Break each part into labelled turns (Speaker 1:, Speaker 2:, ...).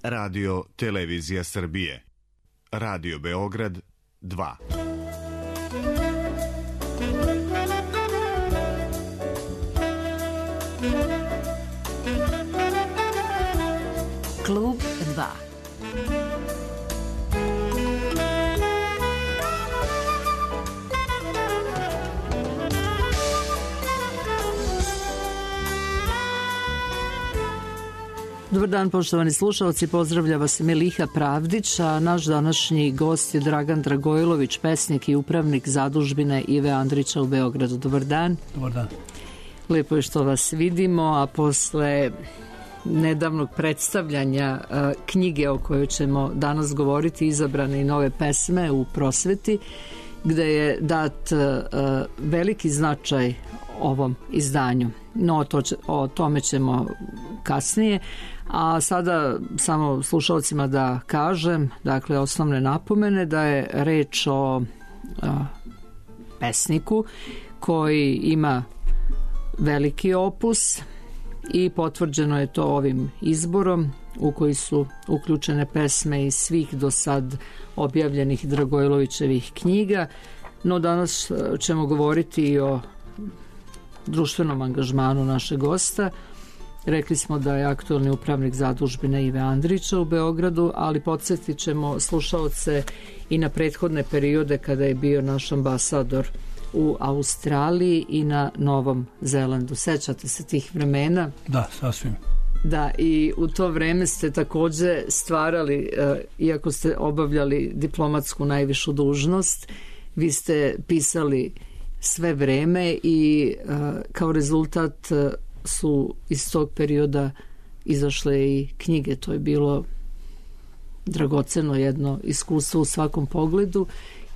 Speaker 1: Radio Televizija Srbije. Radio Beograd 2.
Speaker 2: Klub 2. Dobar dan, poštovani slušalci, pozdravlja vas Miliha Pravdić, a naš današnji gost je Dragan Dragojlović, pesnik i upravnik zadužbine Ive Andrića u Beogradu. Dobar dan.
Speaker 3: Dobar dan.
Speaker 2: Lepo je što vas vidimo, a posle nedavnog predstavljanja knjige o kojoj ćemo danas govoriti, Izabrane i nove pesme u prosveti, gde je dat veliki značaj ovom izdanju. No, o tome ćemo kasnije. A sada samo slušalcima da kažem, dakle, osnovne napomene, da je reč o pesniku koji ima veliki opus i potvrđeno je to ovim izborom u koji su uključene pesme iz svih do sad objavljenih Dragojlovićevih knjiga. No, danas ćemo govoriti i o društvenom angažmanu našeg gosta. Rekli smo da je aktualni upravnik zadužbine Ive Andrića u Beogradu, ali podsjetit ćemo slušaoce i na prethodne periode kada je bio naš ambasador u Australiji i na Novom Zelandu. Sećate se tih vremena?
Speaker 3: Da, sasvim.
Speaker 2: Da, i u to vreme ste takođe stvarali, iako ste obavljali diplomatsku najvišu dužnost, vi ste pisali sve vreme i kao rezultat su iz tog perioda izašle i knjige. To je bilo dragoceno jedno iskustvo u svakom pogledu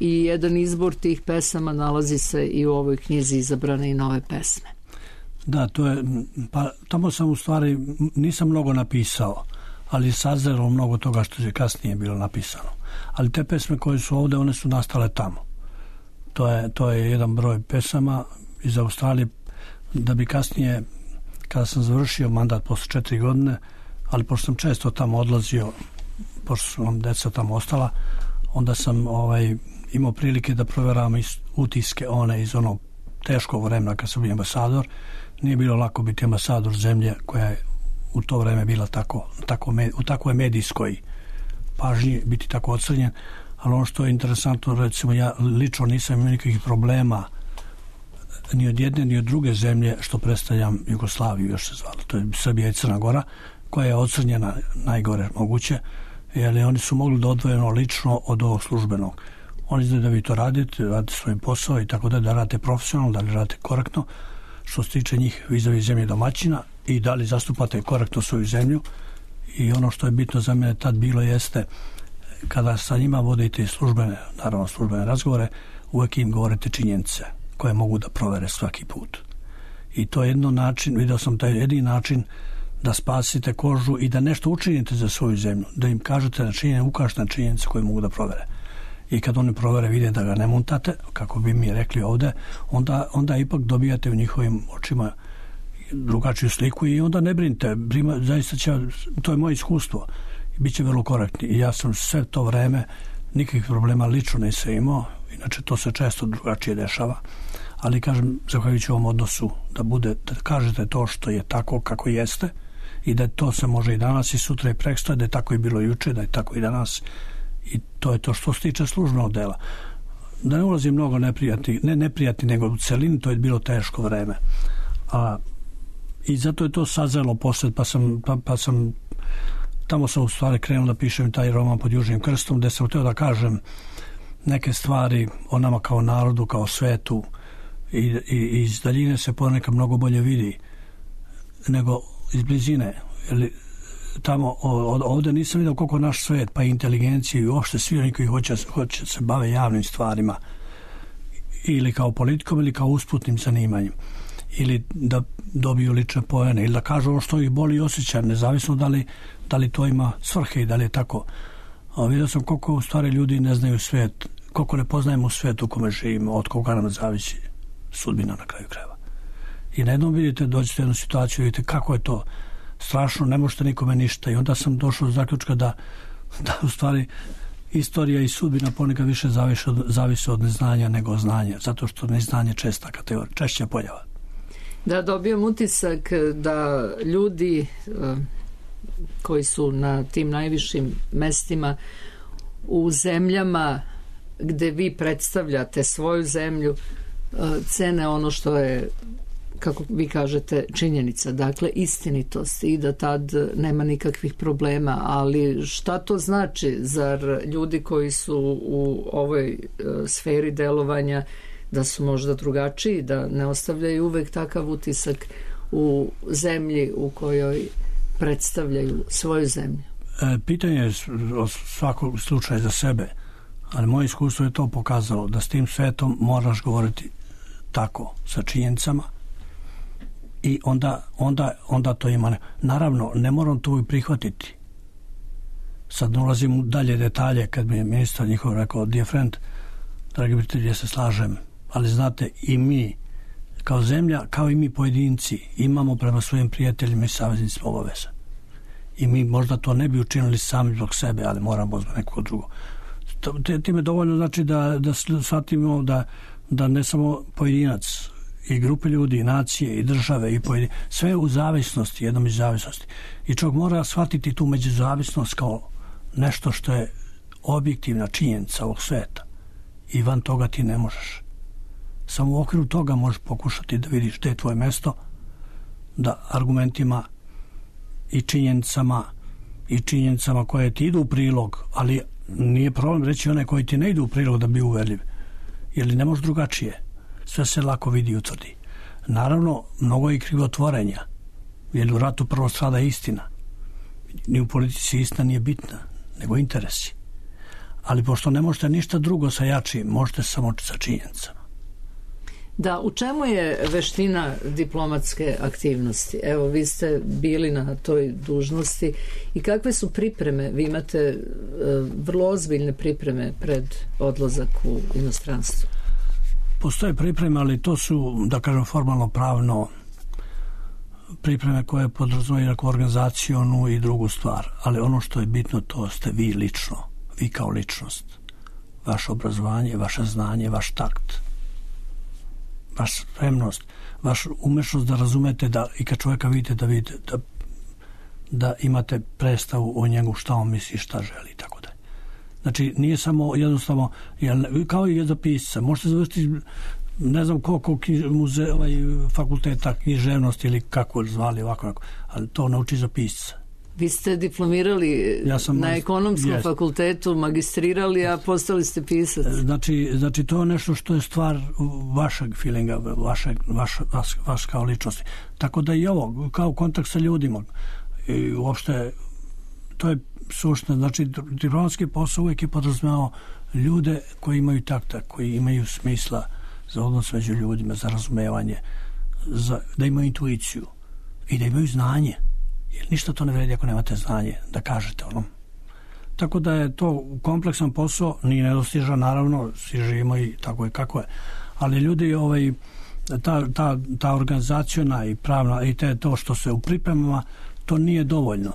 Speaker 2: i jedan izbor tih pesama nalazi se i u ovoj knjizi Izabrane i nove pesme.
Speaker 3: Da, to je, pa tamo sam u stvari nisam mnogo napisao, ali sazrelo mnogo toga što je kasnije bilo napisano. Ali te pesme koje su ovde, one su nastale tamo. To je jedan broj pesama iz Australije, da bi kasnije, kada sam završio mandat posle 4 godine, ali pošto sam često tamo odlazio, pošto su nam deca tamo ostala, onda sam imao prilike da proveravam utiske one iz onog teškog vremena kad sam bio ambasador. Nije bilo lako biti ambasador zemlje koja je u to vreme bila u takvoj medijskoj pažnji, biti tako ocrnjen. Ali ono što je interesantno, recimo, ja lično nisam imao nikakvih problema ni od jedne ni od druge zemlje što predstavljam Jugoslaviju, još se zvalo, to je Srbija i Crna Gora, koja je ocrnjena najgore moguće, jer oni su mogli da odvojeno lično od ovog službenog. Oni znaju da vi to radite svoj posao i tako da radite profesionalno, da li radite korektno što se tiče njih vizavi zemlje domaćina i da li zastupate korektno svoju zemlju. I ono što je bitno za mene tad bilo jeste, kada sa njima vodite službene razgovore, uvek im govorite činjenice koje mogu da provere svaki put. I to je jedno način, video sam taj jedini način da spasite kožu i da nešto učinite za svoju zemlju, da im kažete na činjenice, ukažete na činjenice koje mogu da provere. I kad oni provere, vide da ga ne montate, kako bi mi rekli ovde, onda ipak dobijate u njihovim očima drugačiju sliku i onda ne brinite, zaista to je moje iskustvo. Biće vrlo korektni i ja sam sve to vreme nikakvih problema lično nisam imao, inače to se često drugačije dešava, ali kažem, zahvaljujući ovom odnosu da kažete to što je tako kako jeste i da to se može i danas i sutra i prekstra, da je tako i bilo juče, da je tako i danas, i to je to što se tiče službenog dela. Da ne ulazim mnogo neprijatni, nego u celini, to je bilo teško vreme. I zato je to sazrelo posle, pa sam tamo sam u stvari krenuo da pišem taj roman Pod južnim krstom, gde sam hteo da kažem neke stvari o nama kao narodu, kao svetu, i iz daljine se ponekad mnogo bolje vidi nego iz blizine. Tamo, ovde nisam vidio koliko naš svet, pa i inteligencija i uopšte svi oni koji hoće se bave javnim stvarima, ili kao politikom ili kao usputnim zanimanjem, ili da dobiju lične poene, ili da kažu ono što ih boli i osjeća, nezavisno da li to ima svrhe i da li je tako. Vidio sam koliko u stvari ljudi ne znaju svet, koliko ne poznajemo svet u kome živimo, od koga nam zavisi sudbina na kraju krajeva. I na jednom vidite, dođete u jednu situaciju, vidite kako je to strašno, ne možete nikome ništa. I onda sam došao do zaključka da u stvari istorija i sudbina ponekad više zavise od neznanja nego od znanja, zato što neznanje češća pojava.
Speaker 2: Da, dobijam utisak da ljudi koji su na tim najvišim mestima u zemljama gde vi predstavljate svoju zemlju cene ono što je, kako vi kažete, činjenica, dakle istinitost, i da tad nema nikakvih problema. Ali šta to znači? Zar ljudi koji su u ovoj sferi delovanja da su možda drugačiji, da ne ostavljaju uvek takav utisak u zemlji u kojoj predstavljaju svoju zemlju?
Speaker 3: Pitanje je od svakog slučaja za sebe, ali moje iskustvo je to pokazalo da s tim svetom moraš govoriti tako, sa činjenicama, i onda to ima. Naravno, ne moram to i prihvatiti. Sad ne ulazim u dalje detalje, kad mi je ministar njihov rekao, dear friend, dragi prijatelji, ja se slažem, ali znate, i mi kao zemlja, kao i mi pojedinci, imamo prema svojim prijateljima i saveznicima obaveza. I mi možda to ne bi učinili sami zbog sebe, ali moramo zbog nekog drugo. Time dovoljno znači da shvatimo da ne samo pojedinac, i grupe ljudi, i nacije, i države, i sve u zavisnosti, jednom iz zavisnosti. I čovjek mora shvatiti tu međuzavisnost kao nešto što je objektivna činjenica ovog sveta. I van toga ti ne možeš. Samo u okviru toga možeš pokušati da vidiš gdje je tvoje mesto, da argumentima i činjenicama koje ti idu u prilog, ali nije problem reći one koji ti ne idu u prilog da bi uverljiv. Jer ne može drugačije. Sve se lako vidi i utvrdi. Naravno, mnogo je i krivotvorenja, jer u ratu prvo strada istina. Ni u politici istina nije bitna, nego interesi. Ali pošto ne možete ništa drugo sa jačim, možete samo sa činjenicama.
Speaker 2: Da, u čemu je veština diplomatske aktivnosti? Evo, vi ste bili na toj dužnosti i kakve su pripreme? Vi imate vrlo ozbiljne pripreme pred odlazak u inostranstvo.
Speaker 3: Postoje pripreme, ali to su, da kažem, formalno pravno pripreme koje podrazumijevaju organizacionu i drugu stvar. Ali ono što je bitno, to ste vi lično, vi kao ličnost. Vaše obrazovanje, vaše znanje, vaš takt, vaša spremnost, vaša umešnost da razumete da i kad čovjeka vidite da imate predstavu o njegu šta on misli, šta želi i tako dalje. Znači, nije samo jednostavno, kao i za pisca, možete završiti ne znam koliko fakulteta književnosti ili kako zvali ovako, ali to nauči za pisca.
Speaker 2: Vi ste diplomirali na ekonomskom fakultetu, magistrirali, a postali ste pisac.
Speaker 3: Znači, to je nešto što je stvar vašeg feelinga, vaš kao ličnosti. Tako da i ovo, kao kontakt sa ljudima, i uopšte, to je suština. Znači, diplomatski posao uvijek je podrazumijevao ljude koji imaju takta, koji imaju smisla za odnos među ljudima, za razumevanje, da imaju intuiciju i da imaju znanje. Jer ništa to ne vredi ako nemate znanje da kažete onom. Tako da je to kompleksan posao, nije nedostižan, naravno, svi živimo i tako je kako je. Ali ljudi, ta organizaciona i pravna i to što se u pripremama, to nije dovoljno.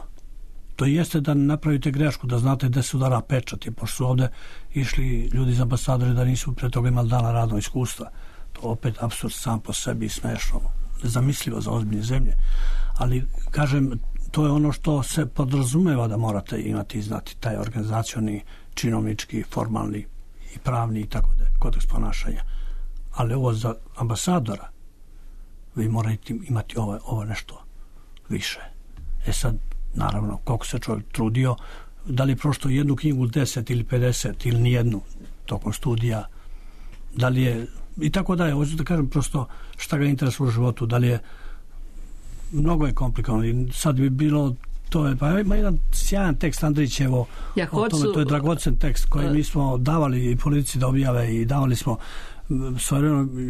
Speaker 3: To jeste da ne napravite grešku, da znate gde se udara pečat, pošto su ovde išli ljudi iz ambasadori da nisu pre toga imali dana radnog iskustva. To opet apsurd sam po sebi, smešno, nezamislivo za ozbiljne zemlje. Ali, kažem, to je ono što se podrazumeva da morate imati i znati, taj organizacioni, činovnički, formalni i pravni i tako da, kodeks ponašanja. Ali ovo za ambasadora, vi morate imati ovo nešto više. Sad, naravno, koliko se čovjek trudio, da li prošto jednu knjigu 10 ili 50 ili nijednu tokom studija, da li je, i tako da je, hoću da kažem prosto šta ga interesuje u životu, da li je, mnogo je komplikovano i sad bi bilo, to je, pa ima jedan sjajan tekst Andrićevo o tome, to je dragocen tekst koji mi smo davali i politici da objave i davali smo,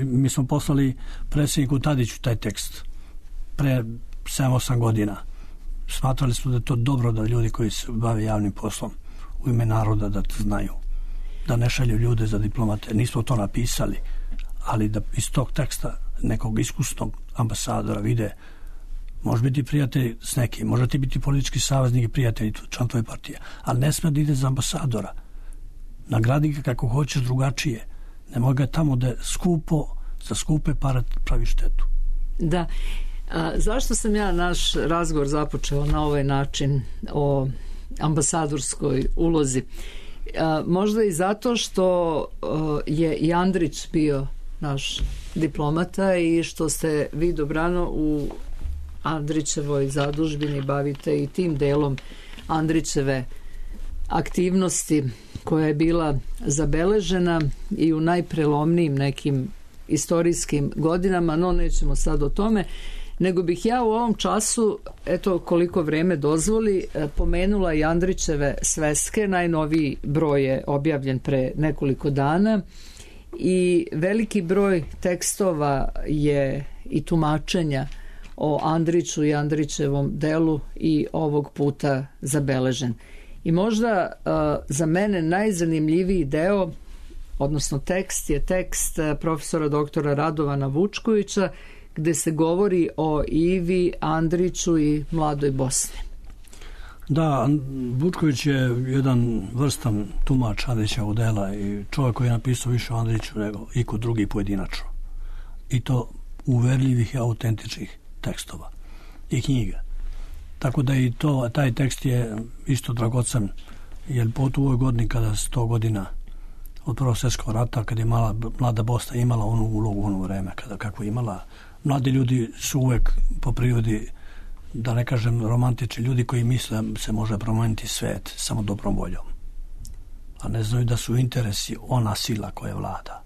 Speaker 3: mi smo poslali predsjedniku Tadiću taj tekst pre 7-8 godina. Smatrali smo da je to dobro da ljudi koji se bave javnim poslom u ime naroda da to znaju, da ne šalju ljude za diplomate. Nismo to napisali, ali da iz tog teksta nekog iskusnog ambasadora vide Može biti prijatelj s nekim, može ti biti politički saveznik i prijatelj član tvoje partije, ali ne sme da ide za ambasadora. Nagradi ga kako hoćeš drugačije. Ne može ga tamo da za skupe pare pravi štetu.
Speaker 2: Da. Zašto sam ja naš razgovor započela na ovaj način o ambasadorskoj ulozi? Možda i zato što je i Andrić bio naš diplomata i što ste vi dobrano u Andrićevoj zadužbini bavite i tim delom Andrićeve aktivnosti koja je bila zabeležena i u najprelomnijim nekim istorijskim godinama, no nećemo sad o tome, nego bih ja u ovom času, eto koliko vreme dozvoli, pomenula i Andrićeve sveske. Najnoviji broj je objavljen pre nekoliko dana i veliki broj tekstova je i tumačenja o Andriću i Andrićevom delu i ovog puta zabeležen. I možda za mene najzanimljiviji deo, odnosno tekst, je tekst profesora doktora Radovana Vučkovića, gde se govori o Ivi, Andriću i mladoj Bosni.
Speaker 3: Da, Vučković je jedan vrstan tumač Andrićevog dela i čovjek koji je napisao više o Andriću nego iko drugi pojedinačno. I to uverljivih i autentičnih tekstova i knjiga. Tako da i taj tekst je isto dragocen, jer po ovoj godini kada 100 godina od Prvog svjetskog rata, kada je mlada Bosna imala onu ulogu u ono vreme, kako imala. Mladi ljudi su uvek po prirodi, da ne kažem romantični ljudi koji misle da se može promeniti svet samo dobrom voljom. A ne znaju da su interesi ona sila koja vlada.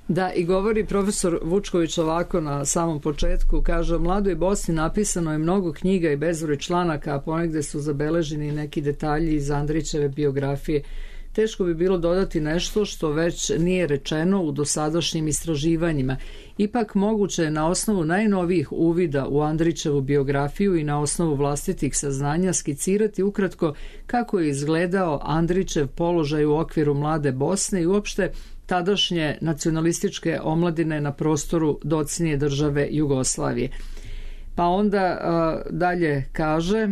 Speaker 2: Da, i govori profesor Vučković ovako na samom početku, kaže: o mladoj Bosni napisano je mnogo knjiga i bezbroj članaka, a ponegde su zabeleženi neki detalji iz Andrićeve biografije. Teško bi bilo dodati nešto što već nije rečeno u dosadašnjim istraživanjima. Ipak moguće je na osnovu najnovijih uvida u Andrićevu biografiju i na osnovu vlastitih saznanja skicirati ukratko kako je izgledao Andrićev položaj u okviru mlade Bosne i uopšte tadašnje nacionalističke omladine na prostoru docnije države Jugoslavije. Pa onda dalje kaže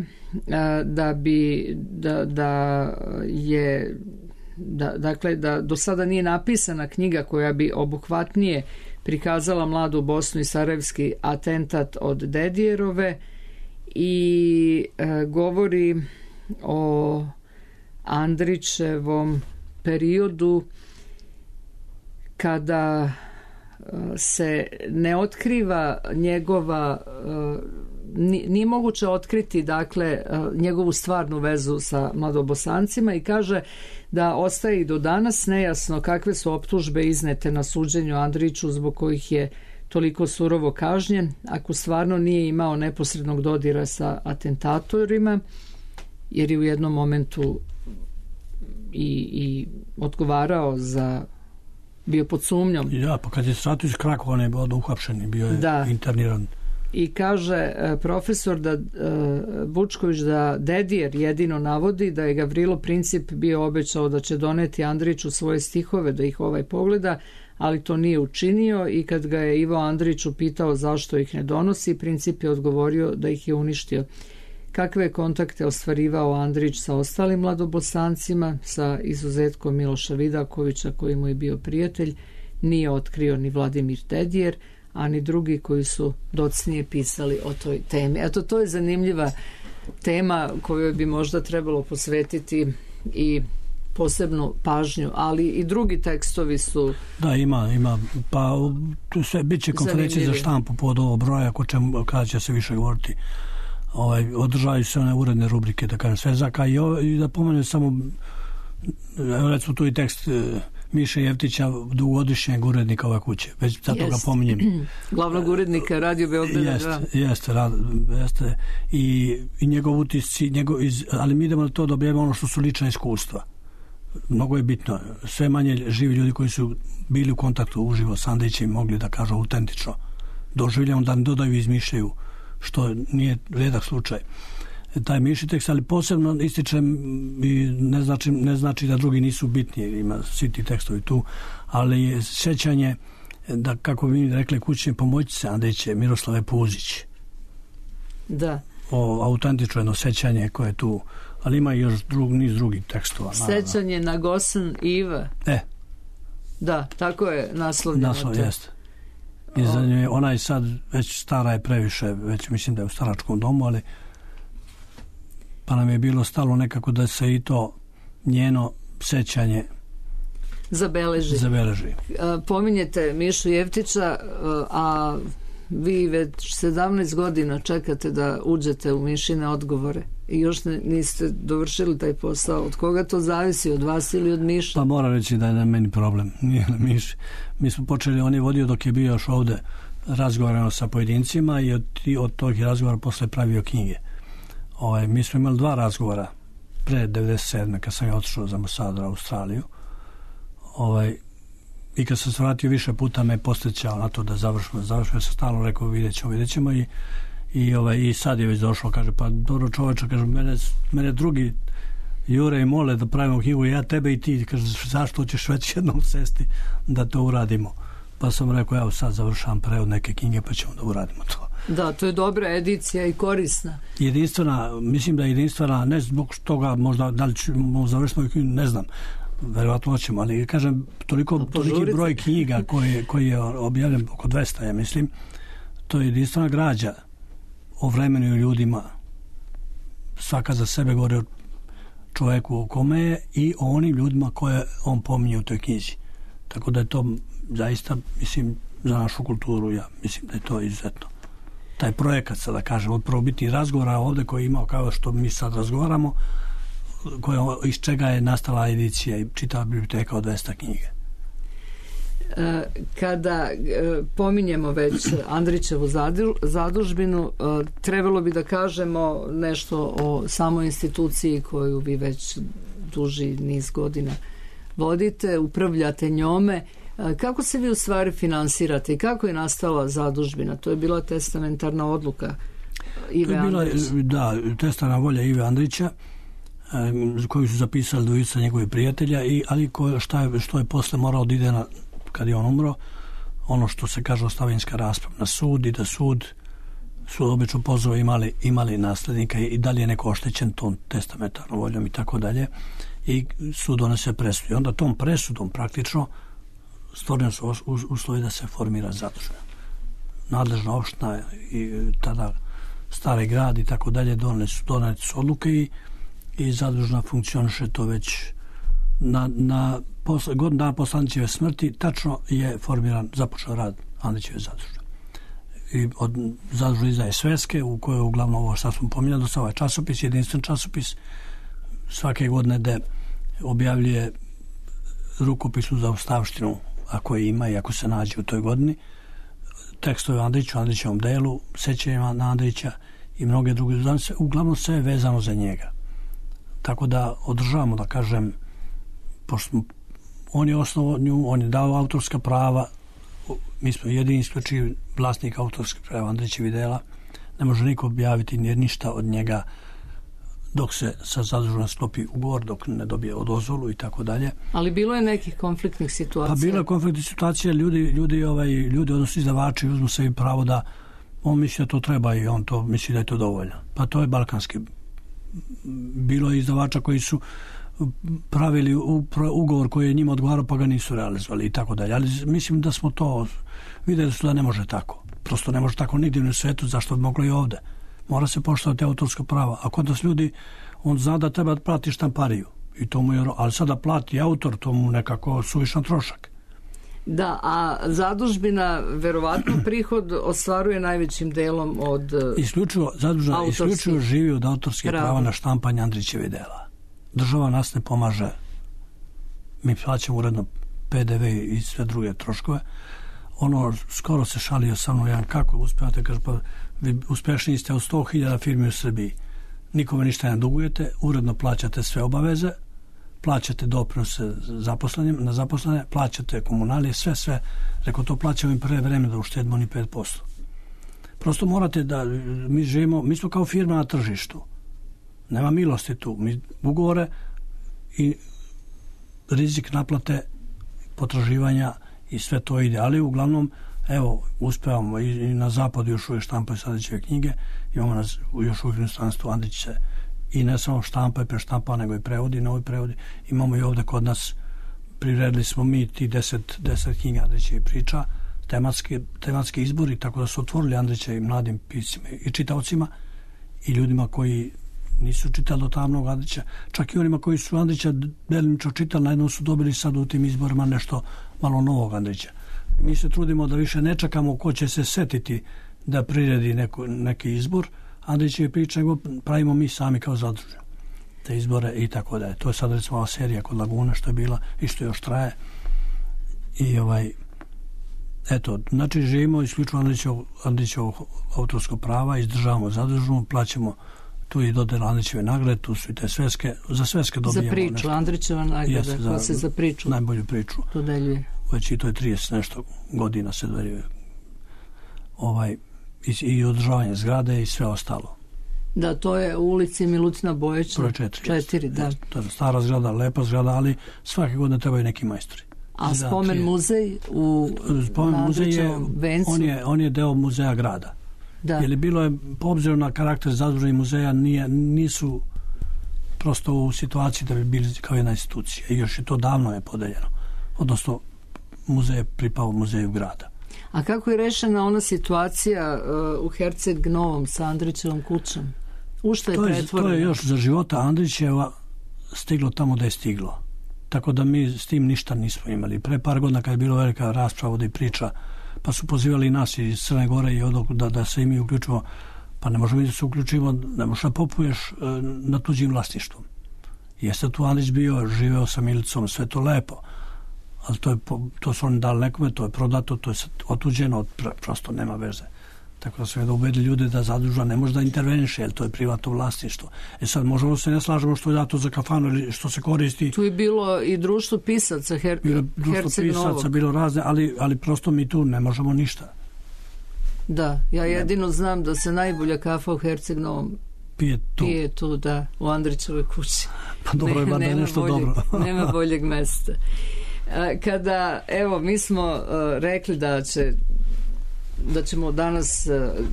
Speaker 2: da do sada nije napisana knjiga koja bi obuhvatnije prikazala mladu Bosnu i sarajevski atentat od Dedijerove i govori o Andrićevom periodu kada se ne otkriva njegova, nije moguće otkriti dakle njegovu stvarnu vezu sa mladobosancima i kaže da ostaje i do danas nejasno kakve su optužbe iznete na suđenju Andriću zbog kojih je toliko surovo kažnjen, ako stvarno nije imao neposrednog dodira sa atentatorima, jer je u jednom momentu i odgovarao za, bio pod sumnjom.
Speaker 3: Ja, pa kad je Stratović Krakova ne bio uhapšen, bio je interniran.
Speaker 2: I kaže profesor Vučković da Dedijer jedino navodi da je Gavrilo Princip bio obećao da će doneti Andriću svoje stihove da ih pogleda, ali to nije učinio i kad ga je Ivo Andrić upitao zašto ih ne donosi, Princip je odgovorio da ih je uništio. Kakve je kontakte ostvarivao Andrić sa ostalim mladobosancima, sa izuzetkom Miloša Vidakovića koji mu je bio prijatelj, nije otkrio ni Vladimir Dedijer, a ni drugi koji su docnije pisali o toj temi. Eto, to je zanimljiva tema kojoj bi možda trebalo posvetiti i posebnu pažnju, ali i drugi tekstovi su... Da,
Speaker 3: ima. Pa tu sve bit će konferencije za štampu pod ovo broja, kada će se više govoriti. Održavaju se one uredne rubrike, da kažem, Svezaka i da pomenem samo, recimo tu i tekst Miše Jevtića, dugogodišnjeg urednika ove kuće, već zato ga pominjem.
Speaker 2: Glavnog urednika Radio Beograda.
Speaker 3: Jeste. I njegov utisci, ali mi idemo na to da objavimo ono što su lična iskustva. Mnogo je bitno. Sve manje živi ljudi koji su bili u kontaktu uživo s Andrićem mogli da kažu autentično doživljamo, da ne dodaju i izmišljaju, što nije redak slučaj. Taj Miši tekst, ali posebno ističem i ne znači da drugi nisu bitni, ima svi ti tekstovi tu, ali je sjećanje da, kako bi mi rekli kućne pomoćnice Andriće, Miroslave Puzić,
Speaker 2: Da.
Speaker 3: O autentično jedno sećanje koje je tu, ali ima još niz drugih tekstova.
Speaker 2: Sećanje na Gosan Iva. Da, tako je naslovljeno.
Speaker 3: Naslov, jeste. I za nje, ona je sad već stara je previše, već mislim da je u staračkom domu, ali pa nam je bilo stalo nekako da se i to njeno sećanje zabeleži.
Speaker 2: Pominjete Mišu Jeftića, a vi već 17 godina čekate da uđete u Mišine odgovore i još niste dovršili taj posao. Od koga to zavisi? Od vas ili od Miša?
Speaker 3: Pa moram reći da je na meni problem, nije na Miši. Mi smo počeli, on je vodio dok je bio još ovde razgovarano sa pojedincima i od tog razgovora posle pravio knjige. Mi smo imali 2 razgovora pre 97. kad sam ja otišao za Mossad u Australiju. I kad sam se vratio više puta me podsjećao na to da završimo. Ja sam stalno rekao vidjet ćemo i sad je već došlo, kaže pa dobro čoveče, kaže mene drugi jure i mole da pravimo knjigu, ja tebe i ti, kaže zašto ćeš već jednom sesti da to uradimo. Pa sam rekao evo sad završavam prevod neke knjige pa ćemo da uradimo to.
Speaker 2: Da, to je dobra edicija i korisna.
Speaker 3: Jedinstvena, mislim da je jedinstvena, ne zbog toga možda da li ćemo završiti knjigu, ne znam, verovatno hoćemo, ali kažem toliki broj knjiga koji je objavljen oko 200, ja mislim, to je jedinstvena građa o vremenu i ljudima, svaka za sebe govori o čoveku o kome je i o onim ljudima koje on pominje u toj knjizi. Tako da je to zaista, mislim, za našu kulturu, ja mislim da je to izuzetno. Taj projekat, sada kažem, od prvobitnih razgovora ovde koji je imao kao što mi sad razgovaramo, iz čega je nastala edicija i čitava biblioteka od 200 knjige.
Speaker 2: Kada pominjemo već Andrićevu zadužbinu, trebalo bi da kažemo nešto o samoj instituciji koju vi već duži niz godina vodite, upravljate njome. Kako se vi u stvari finansirate i kako je nastala zadužbina? To je bila testamentarna odluka Ive Andrića.
Speaker 3: Da, testamentarna volja Ive Andrića, koju su zapisali dvojica njegovih prijatelja, ali što je posle morao da ide kad je on umro, ono što se kaže ostavinska rasprava na sud i da sud obično pozove imali naslednika i da li je neko oštećen tom testamentarnom voljom i tako dalje, i sud donese presudu. I onda tom presudom praktično stvoreni su uslovi da se formira zadužbina. Nadležna opština i tada Stari grad i tako dalje doneli su odluke i zadužna funkcioniše to već godinu dana posle Andrićeve smrti tačno je formiran, započeo rad Andrićeve zadužbe. I od zadužbe izdaje sveske u kojoj uglavnom ovo što smo pominjali, do ovaj časopis, jedinstven časopis, svake godine da objavljuje rukopisnu za ostavštinu ako je ima i ako se nađe u toj godini, tekstove Andrićevom delu, sećanjima na Andrića i mnoge druge, uglavnom sve je vezano za njega. Tako da održavamo, da kažem, pošto on je osnovao nju, on je dao autorska prava, mi smo jedini isključivi vlasnik autorskih prava Andrićevih dela, ne može niko objaviti ništa od njega dok se sa zadužbom sklopi ugovor, dok ne dobije dozvolu i tako dalje.
Speaker 2: Ali bilo je nekih konfliktnih situacija?
Speaker 3: Pa bilo je konfliktnih situacija, ljudi odnosno izdavači uzmu sebi pravo da on misli da to treba i on to misli da je to dovoljno. Pa to je balkanski. Bilo je izdavača koji su pravili ugovor koji je njima odgovarao pa ga nisu realizovali i tako dalje. Ali mislim da smo to vidjeli su da ne može tako. Prosto ne može tako nigdje u svetu, zašto bi moglo i ovde. Mora se poštovati autorska prava. A kod nas ljudi, on zna da treba plati štampariju. I to mu je, ali sada plati autor, to mu nekako suvišan trošak.
Speaker 2: Da, a zadužbina verovatno prihod ostvaruje najvećim delom od
Speaker 3: isključivo živi od autorske prava na štampanje Andrićevih dela. Država nas ne pomaže. Mi plaćamo uredno PDV i sve druge troškove. Skoro se šalio sa mnom jedan, kako uspevate, kaže, pa vi uspešniji ste od 100.000 firmi u Srbiji. Nikome ništa ne dugujete, uredno plaćate sve obaveze, plaćate doprinose na zaposlene, plaćate komunalije, sve. Rekao, to plaćamo i pre vreme da uštedimo ni 5%. Prosto morate da, mi smo kao firma na tržištu. Nema milosti tu. Mi ugovore i rizik naplate potraživanja i sve to ide. Ali uglavnom, Evo, uspevamo i na zapadu još uvijek štampaju Andrićeve knjige, imamo nas još uvijek u inostranstvu Andrić se i ne samo štampa i preštampa, nego i prevodi, novi prevodi. Imamo i ovdje kod nas, priredili smo mi ti 10 knjiga Andrićevih priča, tematski izbori, tako da su otvorili Andrićevim mladim piscima i čitaocima i ljudima koji nisu čitali do tamnog Andrića, čak i onima koji su Andrića delimično čitali, najednom su dobili sad u tim izborima nešto malo novog Andrića. Mi se trudimo da više ne čekamo ko će se setiti da priredi neki izbor Andrićeve priče, nego pravimo mi sami kao zadružno te izbore i tako da je. To je sad recimo ova serija kod Laguna što je bila i što još traje. I eto, znači živimo isključivo Andrićevog autorskog prava, izdržavamo zadružnu, plaćamo tu i dodelu Andrićeve nagrade, tu su i te sveske, za sveske dobijamo
Speaker 2: za priču, nešto. Andrićeva nagrada, koja se za priču
Speaker 3: najbolju priču
Speaker 2: dodeljuje.
Speaker 3: Već i to je 30 nešto godina se dodeljuje. I održavanje zgrade i sve ostalo.
Speaker 2: Da, to je u ulici Milutina Bojića.
Speaker 3: Broj 4,
Speaker 2: da.
Speaker 3: To je stara zgrada, lepa zgrada, ali svake godine trebaju neki majstori.
Speaker 2: A spomen muzej u Andrićevom vencu?
Speaker 3: On je deo muzeja grada.
Speaker 2: Da.
Speaker 3: Jer bilo je, po obziru na karakter zadružnih muzeja, nisu prosto u situaciji da bi bili kao jedna institucija. I još je to davno je podeljeno. Odnosno, muzej je pripao muzeju grada.
Speaker 2: A kako je rešena ona situacija u Herceg Novom sa Andrićevom kućom? U što je pretvoreno?
Speaker 3: To je još za života Andrićeva stiglo tamo da je stiglo. Tako da mi s tim ništa nismo imali. Pre par godina kad je bilo velika rasprava da i priča, pa su pozivali nas iz Crne Gore i da se i mi uključimo, pa ne možemo da se uključimo, ne možeš da popuješ na tuđim vlasništvom. Jeste tu Andrić bio, živeo sa Milicom, sve to lepo, ali to su oni dali nekome, to je prodato, to je otuđeno, prosto nema veze. Tako da su da ubedili ljude da zadruža ne može da interveniše, jer to je privatno vlasništvo. Sad možemo se ne slažemo što je dato za kafanu ili što se koristi.
Speaker 2: Tu je bilo i društvo pisaca Herceg Novog.
Speaker 3: Bilo razne, ali prosto mi tu ne možemo ništa.
Speaker 2: Da, ja jedino znam da se najbolja kafa u Herceg Novom pije tu, da, u Andrićevoj kući.
Speaker 3: Pa dobro, ima da je nešto dobro.
Speaker 2: Nema boljeg mesta. Kada, evo, mi smo rekli da ćemo danas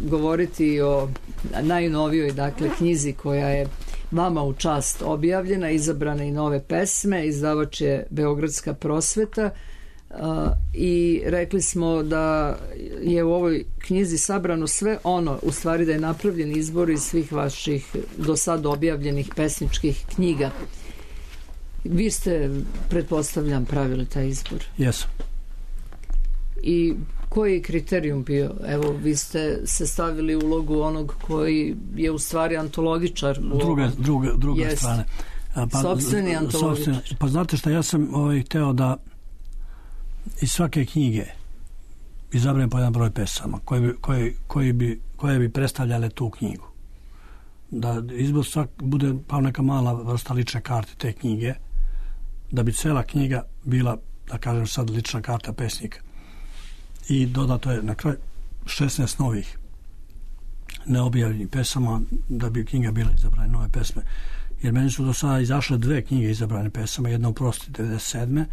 Speaker 2: govoriti o najnovijoj, dakle, knjizi koja je vama u čast objavljena, izabrane i nove pesme, izdavač je Beogradska prosveta, i rekli smo da je u ovoj knjizi sabrano sve ono, u stvari da je napravljen izbor iz svih vaših do sad objavljenih pesničkih knjiga. Vi ste, pretpostavljam, pravili taj izbor.
Speaker 3: Jesam.
Speaker 2: I koji je kriterijum bio? Evo, vi ste se stavili u ulogu onog koji je u stvari antologičar.
Speaker 3: Druga strane.
Speaker 2: Sopstveni antologičar.
Speaker 3: Pa znate šta, ja sam hteo da iz svake knjige izabrem po jedan broj pesama koje bi predstavljale tu knjigu. Da izbor svak bude pa neka mala vrsta lične karte te knjige, da bi cela knjiga bila, da kažem sad, lična karta pesnika. I dodato je na kraj 16 novih neobjavljenih pesama, da bi knjiga bila izabrane nove pesme. Jer meni su do sada izašle 2 knjige izabrane pesama, jedna u Prosti 97.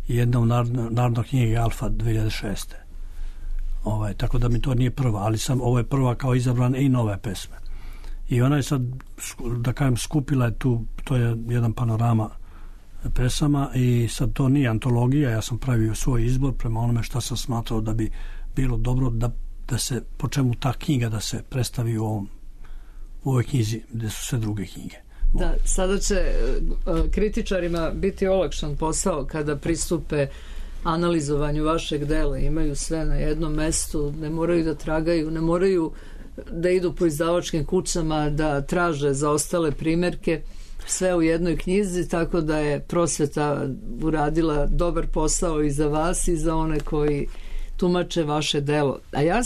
Speaker 3: i jedna u Narodnoj knjigi Alfa 2006. Tako da mi to nije prva, ali ovo je prva kao izabrane i nove pesme. I ona je sad, da kažem, skupila je tu, to je jedan panorama pesama i sad to nije antologija, ja sam pravio svoj izbor prema onome što sam smatrao da bi bilo dobro da se, po čemu ta knjiga da se predstavi u ovoj knjizi gde su sve druge knjige.
Speaker 2: Da, sada će kritičarima biti olakšan posao kada pristupe analizovanju vašeg dela, imaju sve na jednom mestu, ne moraju da tragaju, ne moraju da idu po izdavačkim kućama da traže za ostale primerke, sve u jednoj knjizi, tako da je prosveta uradila dobar posao i za vas i za one koji tumače vaše delo. A ja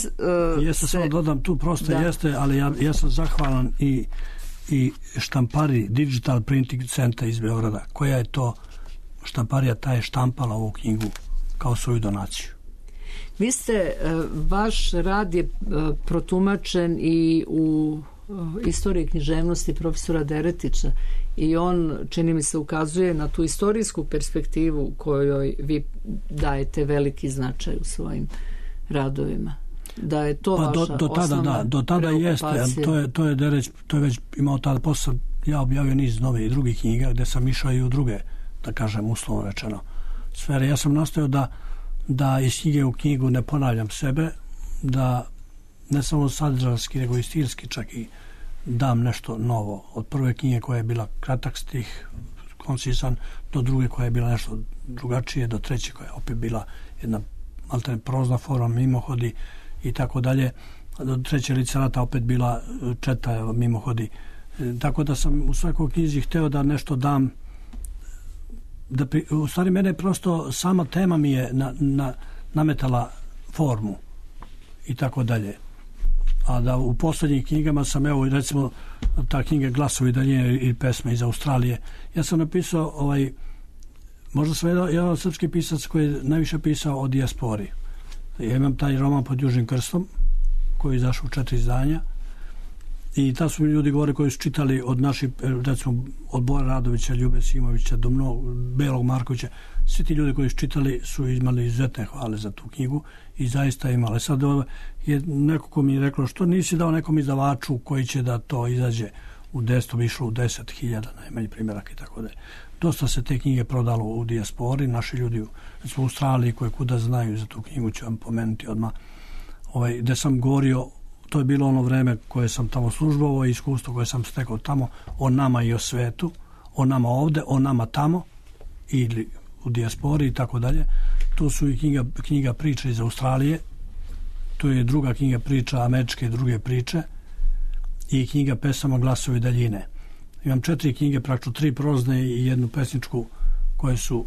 Speaker 3: samo dodam tu, prosto jeste, ali ja sam zahvalan i štampari Digital Printing Center iz Beograda, koja je to štamparija, ta je štampala ovu knjigu kao svoju donaciju.
Speaker 2: Vi ste, vaš rad je protumačen i u istoriji književnosti profesora Deretića i on, čini mi se, ukazuje na tu istorijsku perspektivu kojoj vi dajete veliki značaj u svojim radovima? Da je to vaša osnovna
Speaker 3: do tada jeste, to je već imao tada posle. Ja objavio niz nove i drugih knjiga gde sam išao i u druge, da kažem uslovno rečeno, sfere. Ja sam nastojao da iz knjige u knjigu ne ponavljam sebe, da ne samo sadržajski, nego i stilski čak i dam nešto novo. Od prve knjige koja je bila kratak stih, koncisan, do druge koja je bila nešto drugačije, do treće koja je opet bila jedna alternativna prozna forma, mimohodi i tako dalje. Do treće literata opet bila četa mimohodi. Tako da sam u svakoj knjizi hteo da nešto dam. U stvari mene prosto sama tema mi je nametala formu i tako dalje. A da u poslednjih knjigama sam, evo recimo ta knjiga Glasovi daljine i pesme iz Australije, ja sam napisao možda sam jedan srpski pisac koji je najviše pisao o dijaspori. Ja imam taj roman Pod južnim krstom koji je izašao u 4 izdanja i ta su mi ljudi govore koji su čitali od naših, recimo od Bora Radovića, Ljube Simovića do Belog Markovića, svi ti ljudi koji su čitali su imali izuzetne hvale za tu knjigu i zaista imali. Sad je neko ko mi je rekao što nisi dao nekom izdavaču koji će da to izađe u 10, bi išlo u 10.000 najmanji primjerak i tako da. Dosta se te knjige prodalo u dijaspori, naši ljudi u Australiji koji kuda znaju za tu knjigu ću vam pomenuti odmah. Gde sam govorio, to je bilo ono vreme koje sam tamo službovao i iskustvo koje sam stekao tamo o nama i o svetu, o nama ovde, o nama tamo ili u dijaspori i tako dalje. Tu su i knjiga priča iz Australije, tu je druga knjiga priča američke i druge priče i knjiga pesama Glasovi daljine. Imam 4 knjige, praktično 3 prozne i jednu pesničku koje su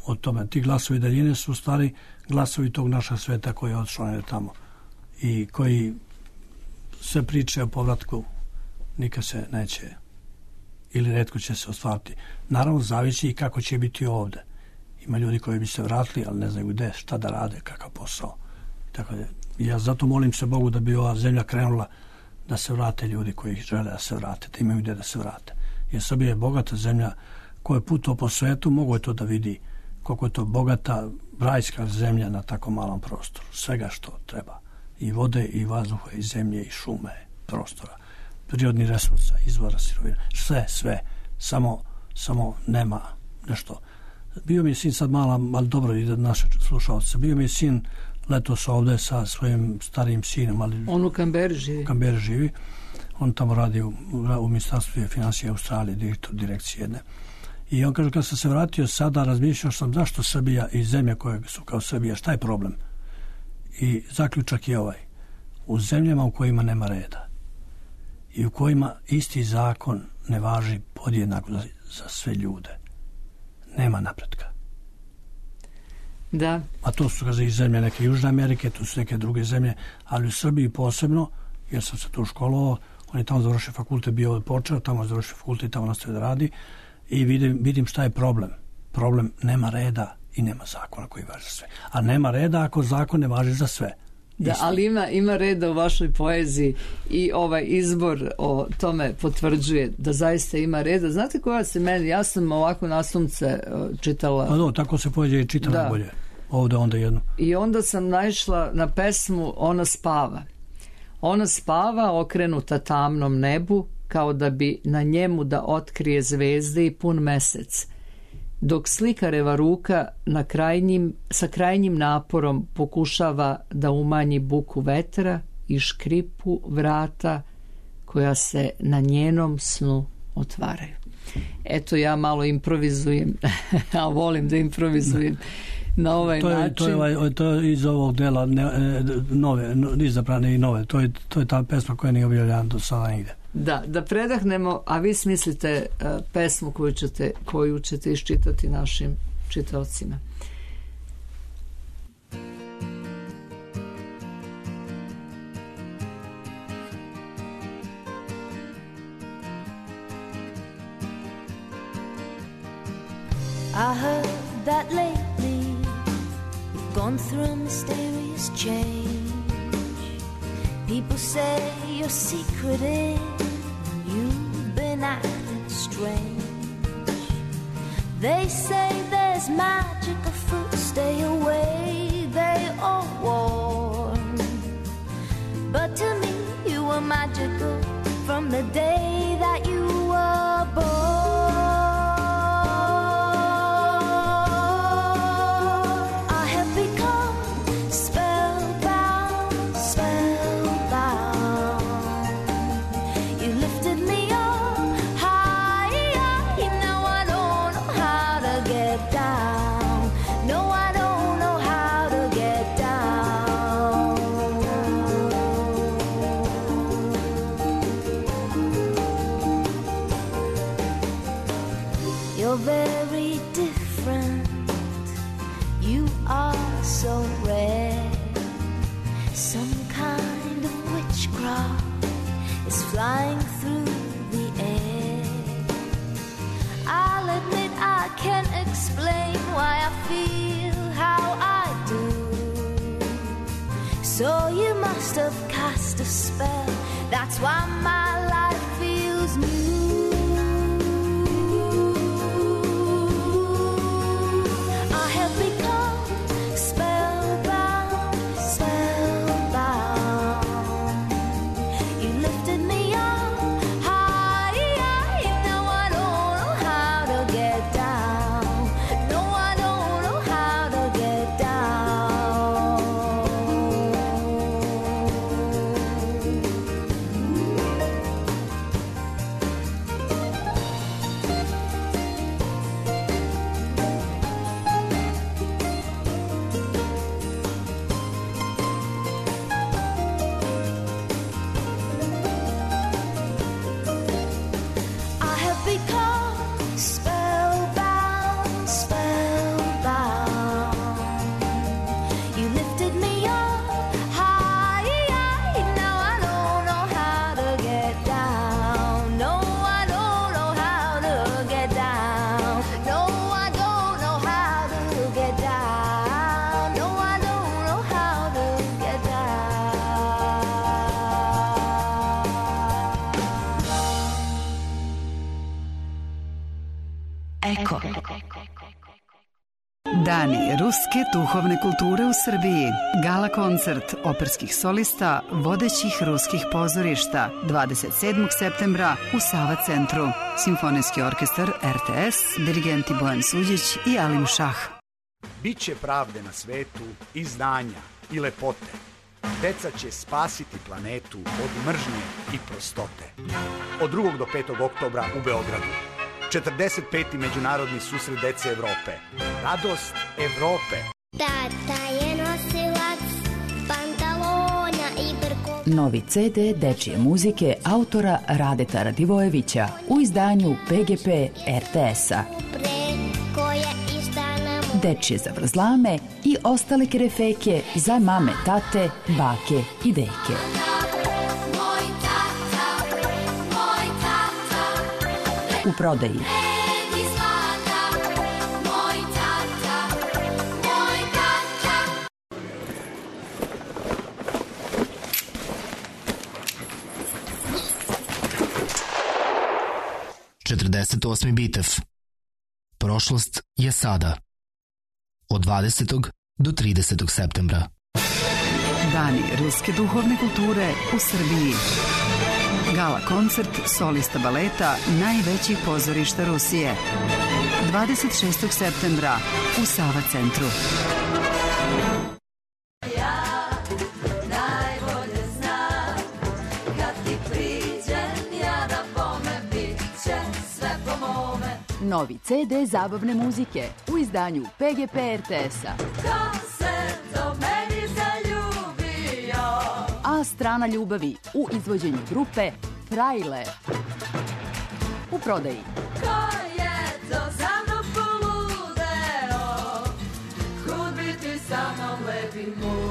Speaker 3: o tome. Ti glasovi daljine su u stvari glasovi tog našeg sveta koji je odšao tamo i koji sve priče o povratku nikad se neće ili retko će se ostvariti. Naravno, zavisi i kako će biti ovde. Ima ljudi koji bi se vratili, ali ne znaju gde, šta da rade, kakav posao. Tako da, ja zato molim se Bogu da bi ova zemlja krenula da se vrate ljudi koji žele da se vrate, da imaju gde da se vrate. Jer Srbija je bogata zemlja, ko je putao po svetu, mogo je to da vidi koliko je to bogata rajska zemlja na tako malom prostoru. Svega što treba. I vode, i vazduha, i zemlje, i šume, prostora, prirodni resursa, izvora sirovina, sve. Samo nema nešto. Bio mi je sin sad mala, ali dobro i da naše slušalce, bio mi je sin letos ovde sa svojim starijim sinom. Ali
Speaker 2: on u Kamberi živi.
Speaker 3: On tamo radi u Ministarstvu finansija Australije, direktor direkcije jedne. I on kaže, kad sam se vratio sada, razmišljao sam zašto Srbija i zemlje koje su kao Srbija, šta je problem? I zaključak je ovaj. U zemljama u kojima nema reda i u kojima isti zakon ne važi podjednako za sve ljude, nema napretka.
Speaker 2: Da.
Speaker 3: A to su i zemlje neke Južne Amerike, tu su neke druge zemlje, ali u Srbiji posebno, jer sam se tu školovao, on je tamo završio fakultet, bio počeo, tamo završio fakultet i tamo nastavio da radi i vidim šta je problem. Problem, nema reda i nema zakona koji važi za sve. A nema reda ako zakon ne važi za sve.
Speaker 2: Da, ali ima reda u vašoj poeziji i ovaj izbor o tome potvrđuje da zaista ima reda. Znate koja se meni, ja sam ovako nasumce čitala.
Speaker 3: Pa tako se poezija i čita najbolje. Ovde onda jedno.
Speaker 2: I onda sam naišla na pesmu Ona spava. Ona spava okrenuta tamnom nebu kao da bi na njemu da otkrije zvezde i pun mesec. Dok slikareva ruka sa krajnjim naporom pokušava da umanji buku vetra i škripu vrata koja se na njenom snu otvaraju. Eto, ja malo improvizujem, a volim da improvizujem na ovaj način.
Speaker 3: To je iz ovog dela nove, izabrane i nove. To je ta pesma koja nije objavljena do sada nigde.
Speaker 2: Da predahnemo, a vi smislite pesmu koju ćete iščitati našim čitaocima.
Speaker 4: I heard that lately you've gone through a mysterious change. People say your secret is you've been acting strange. They say there's magic afoot, stay away, they all warn. magical from the day that you were born. I have become spellbound, spellbound. You lifted me up high, now I don't know how to get down. No, I don't know how to get down. You're very different. You are so rare. Some kind of witchcraft is flying through the air. I'll admit I can't explain why I feel how I do. So you must have cast a spell. That's why my life feels new. I have become spellbound, spellbound. You lifted me up high, now I don't know how to get down. No, I don't know how to get down. I have become spellbound, spellbound. You lifted me up high, now I don't know how to get down. No, I don't know how to get down. No, I don't know how to get down. No, I don't know how to get
Speaker 5: Eko. Dani ruske duhovne kulture u Srbiji. Gala koncert operskih solista vodećih ruskih pozorišta 27. septembra u Sava centru. Simfonijski orkestar RTS, dirigenti Bojan Suđić i Alim Šah.
Speaker 6: Biće pravde na svetu i znanja i lepote. Deca će spasiti planetu od mržnje i prostote. Od 2. do 5. oktobra u Beogradu. 45. međunarodni susret dece Evrope. Radost Evrope.
Speaker 7: Tata je nosilac pantalona i brkova.
Speaker 8: Novi CD dečije muzike autora Radeta Radivojevića u izdanju PGP RTS-a. Dečije zavrzlame i ostale kerefeke za mame, tate, bake i deke. U prodaji.
Speaker 9: Četrdeset Bitev. Prošlost je sada. Od 20. do 30. septembra.
Speaker 5: Dani ruske duhovne kulture u Srbiji. Gala koncert solista baleta najvećih pozorišta Rusije. 26. septembra u Sava centru.
Speaker 8: Novi CD zabavne muzike u izdanju PGP RTS-a. A strana ljubavi u izvođenju grupe Trailer. U prodaji.
Speaker 4: Ko je to za mnom poludeo, kud biti sa mnom lepi moj.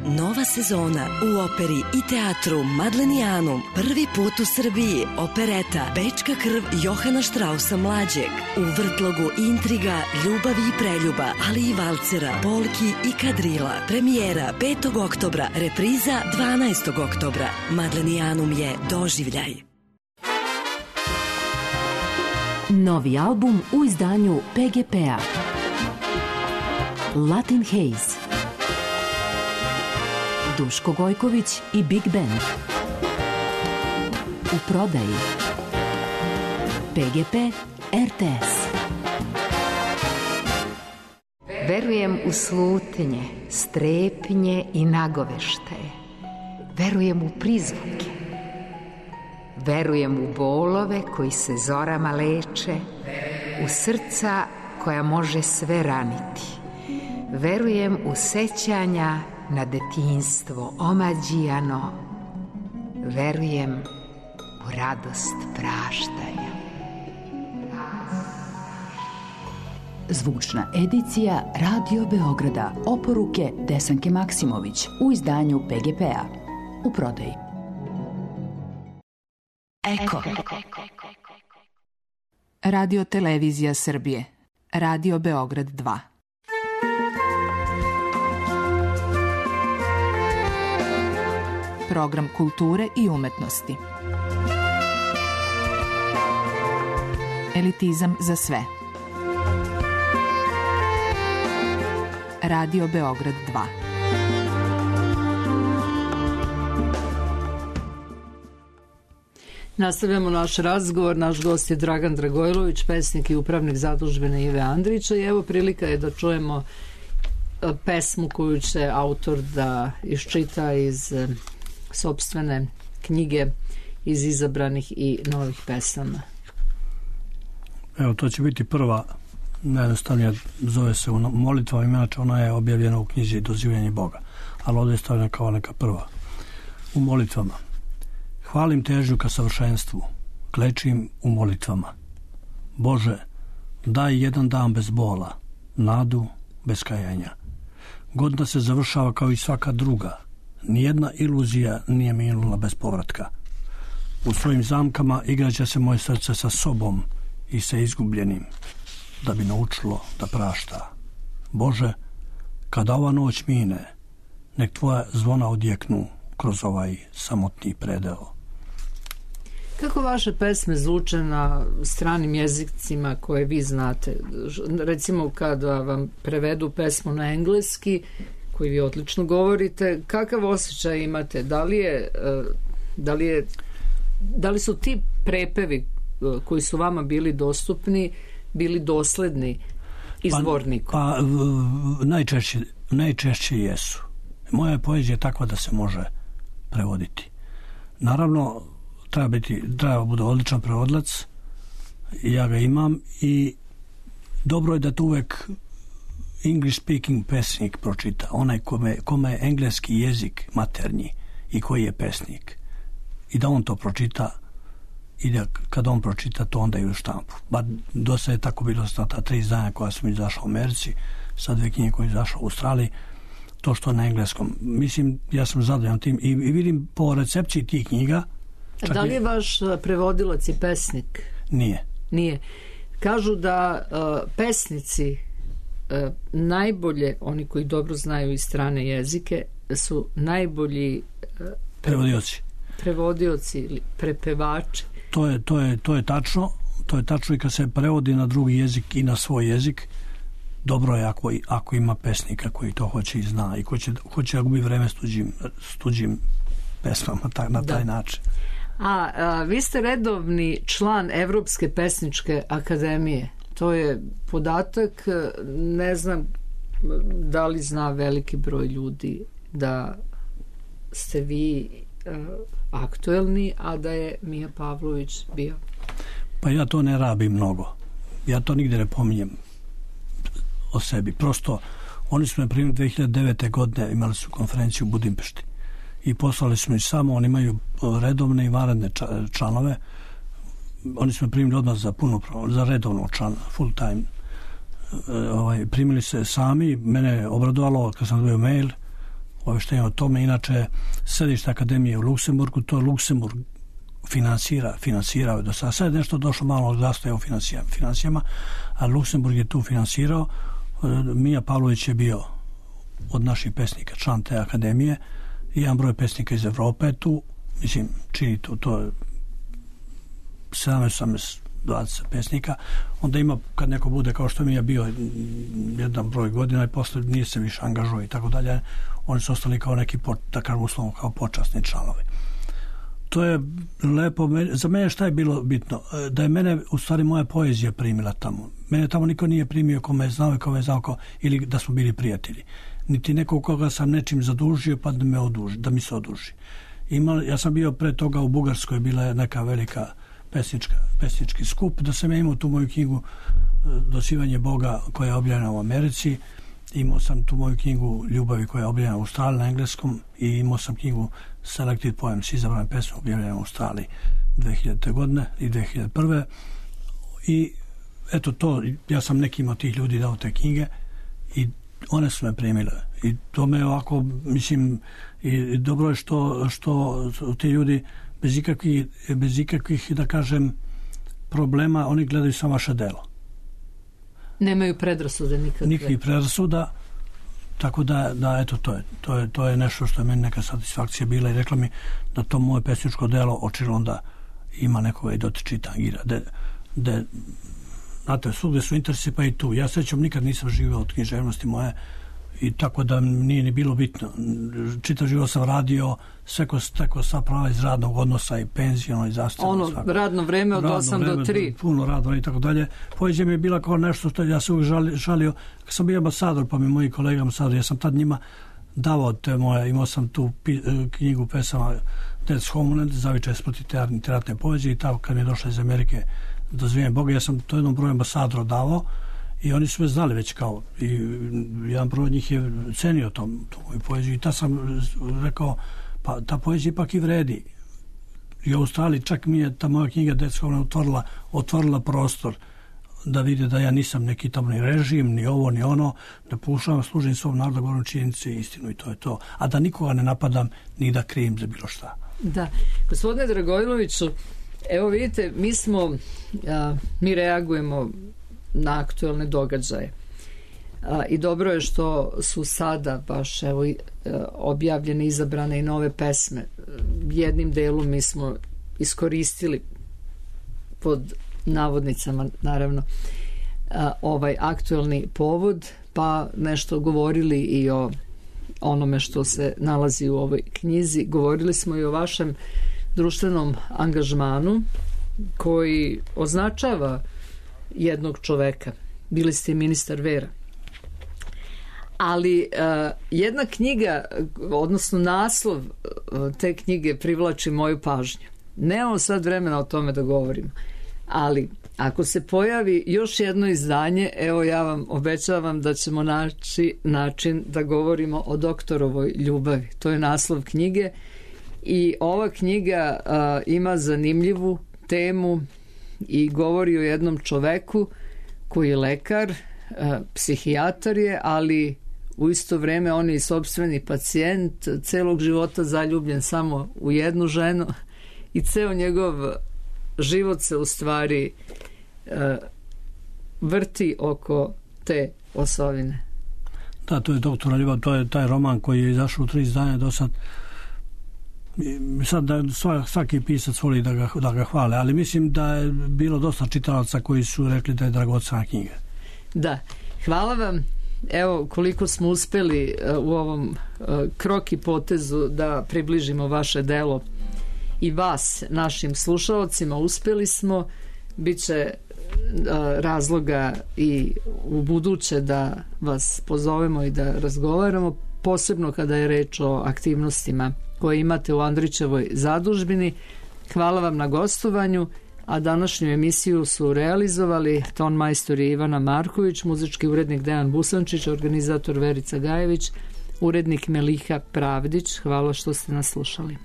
Speaker 10: Nova sezona u operi i teatru Madlenijanum. Prvi put u Srbiji opereta Bečka krv Johana Štrausa mlađeg. U vrtlogu intriga, ljubavi i preljuba, ali i valcera, polki i kadrila. Premijera 5. oktobra, repriza 12. oktobra. Madlenijanum je doživljaj.
Speaker 8: Novi album u izdanju PGP-a. Latin Haze. Duško Gojković i Big Band. U prodaji PGP RTS.
Speaker 11: Verujem u slutnje, strepnje i nagoveštaje. Verujem u prizvuke. Verujem u bolove koji se zorama leče, u srca koja može sve raniti. Verujem u sećanja na detinjstvo omađijano. Verujem u radost praštanja.
Speaker 8: Zvučna edicija Radio Beograda. Oporuke Desanke Maksimović u izdanju PGP-a. U prodaji.
Speaker 12: Eko. Radio Televizija Srbije. Radio Beograd 2. Program kulture i umetnosti. Elitizam za sve. Radio Beograd 2.
Speaker 2: Nastavljamo naš razgovor. Naš gost je Dragan Dragojlović, pesnik i upravnik zadužbine Ive Andrića, i evo prilika je da čujemo pesmu koju će autor da iščita iz sopstvene knjige iz izabranih i novih pesama.
Speaker 3: Evo, to će biti prva, najjednostavnija, zove se u molitvama, inače ona je objavljena u knjizi Dozivljanje Boga, ali ovdje je stavljena kao neka prva. U molitvama. Hvalim težnju ka savršenstvu, klečim u molitvama. Bože, daj jedan dan bez bola, nadu bez kajanja. Godina se završava kao i svaka druga. Nijedna iluzija nije minula bez povratka. U svojim zamkama igraće se moje srce sa sobom i sa izgubljenim, da bi naučilo da prašta. Bože, kada ova noć mine, nek tvoja zvona odjeknu kroz ovaj samotni predeo.
Speaker 2: Kako vaše pesme zvuče na stranim jezicima koje vi znate? Recimo kada vam prevedu pesmu na engleski, koji vi odlično govorite, kakav osjećaj imate? Da li su ti prepevi koji su vama bili dostupni bili dosledni izvorniku?
Speaker 3: Pa najčešće jesu. Moja poezija je takva da se može prevoditi. Naravno, treba bude odličan prevodlac, ja ga imam, i dobro je da to uvek English speaking pesnik pročita, onaj kome je engleski jezik maternji i koji je pesnik, i da on to pročita, i da kad on pročita to onda i u štampu. Bar dosta je tako bilo sa ta 3 izdanja koja sam izašla u Americi, sa 2 knjige koje izašla u Australiji, to što na engleskom. Mislim, ja sam zadovoljan tim i vidim po recepciji tih knjiga.
Speaker 2: Da li je vaš prevodilac i pesnik? Nije. Kažu da pesnici najbolje, oni koji dobro znaju i strane jezike, su najbolji prevodioci ili prepevači.
Speaker 3: To je tačno. To je tačno i kad se prevodi na drugi jezik i na svoj jezik. Dobro je ako ima pesnika koji to hoće i zna i hoće da gubi vreme s tuđim pesmama na taj način.
Speaker 2: A vi ste redovni član Evropske pesničke akademije. To je podatak, ne znam da li zna veliki broj ljudi da ste vi aktuelni, a da je Mija Pavlović bio.
Speaker 3: Pa ja to ne rabim mnogo. Ja to nigde ne pominjem o sebi. Prosto, oni su me primili 2009. godine, imali su konferenciju u Budimpešti i poslali su mi samo, oni imaju redovne i vanredne članove. Oni su me primili odmah za redovnog člana, full time. Primili se sami, mene je obradovalo kad sam dobio mail obaveštenje o tome. Inače, sedište akademije u Luksemburgu, to Luksemburg finansirao je do sada. Sad je nešto došlo malo od zastoja u financijama, a Luksemburg je tu finansirao. Mija Pavlović je bio od naših pesnika član te akademije, i jedan broj pesnika iz Evrope tu, mislim, čini to je 17 20 pesnika, onda ima, kad neko bude kao što mi je bio jedan broj godina i posle nije se više angažuo i tako dalje, oni su ostali kao neki, da kažem uslovno, kao počasni članovi. To je lepo. Za mene šta je bilo bitno? Da je mene, u stvari, moja poezija primila tamo. Mene tamo niko nije primio ko me znao i ko me znao, ili da smo bili prijatelji. Niti nekog koga sam nečim zadužio pa da mi se oduži. Ja sam bio pre toga u Bugarskoj, bila je neka velika pesnički skup, da sam ja imao tu moju knjigu Dosivanje Boga koja je objavljena u Americi, imao sam tu moju knjigu Ljubavi koja je objavljena u Australiji na engleskom i imao sam knjigu Selected Poems, izabrane pesme, objavljene u Australiji 2000. godine i 2001. I eto to, ja sam nekim od tih ljudi dao te knjige i one su me primile. I to me ovako, mislim, i dobro je što ti ljudi bez ikakvih, da kažem, problema, oni gledaju samo vaše delo.
Speaker 2: Nemaju predrasude nikakve.
Speaker 3: Nikakvih predrasuda, tako da eto, to je nešto što je meni neka satisfakcija bila i rekla mi da to moje pesničko delo očilo onda ima nekoga i dotiči tangira. Znate, svugde su interesi, pa i tu. Ja sećam, nikad nisam živio od književnosti moje i tako da nije ni bilo bitno. Čitav život sam radio, stekao sva prava iz radnog odnosa i penziono i zdravstveno.
Speaker 2: Radno vreme od 8 do 3.
Speaker 3: Puno radno i tako dalje. Poezija mi je bila kao nešto što ja se uvijek žalio. Kad sam bio ambasador, pa mi moji kolega ambasador, ja sam tad njima davao te moje, imao sam tu knjigu pesama Death's Homeland, zavičaj protiv teatne poezije i tako kad mi je došla iz Amerike Dozivanje Boga, ja sam to jednom broju ambasadora davao i oni su me znali već kao i jedan broj njih je cenio tu moju poeziju i tad sam rekao, pa ta poezija ipak i vredi. I u Australiji čak mi je ta moja knjiga Death's Homeland otvorila prostor da vide da ja nisam neki tamo ni režim, ni ovo, ni ono, da pokušavam služim svom narodu, govorim činjenice i istinu i to je to. A da nikoga ne napadam ni da krivim za bilo šta.
Speaker 2: Da. Gospodine Dragojloviću, evo vidite, mi reagujemo na aktuelne događaje. I dobro je što su sada baš objavljene, izabrane i nove pesme. Jednim delom mi smo iskoristili pod navodnicama, naravno, ovaj aktuelni povod, pa nešto govorili i o onome što se nalazi u ovoj knjizi. Govorili smo i o vašem društvenom angažmanu koji označava jednog čoveka. Bili ste ministar vera. Ali jedna knjiga, odnosno naslov te knjige privlači moju pažnju. Nemamo sad vremena o tome da govorimo, ali ako se pojavi još jedno izdanje, evo ja vam obećavam da ćemo naći način da govorimo o doktorovoj ljubavi. To je naslov knjige i ova knjiga ima zanimljivu temu i govori o jednom čoveku koji je lekar, psihijatar je, ali u isto vreme on je i sopstveni pacijent, celog života zaljubljen samo u jednu ženu i ceo njegov život se u stvari vrti oko te osovine.
Speaker 3: Da, to je doktora ljubav, to je taj roman koji je izašao u 3 izdanja do sad. Sad svaki pisac voli da ga hvale, ali mislim da je bilo dosta čitalaca koji su rekli da je dragocena knjiga.
Speaker 2: Da, hvala vam. Evo koliko smo uspeli u ovom kroki potezu da približimo vaše delo i vas našim slušalcima. Uspeli smo, bit će razloga i u buduće da vas pozovemo i da razgovaramo, posebno kada je reč o aktivnostima koje imate u Andrićevoj zadužbini. Hvala vam na gostovanju, a današnju emisiju su realizovali ton majstor Ivana Marković, muzički urednik Dejan Busančić, organizator Verica Gajević, urednik Meliha Pravdić. Hvala što ste nas slušali.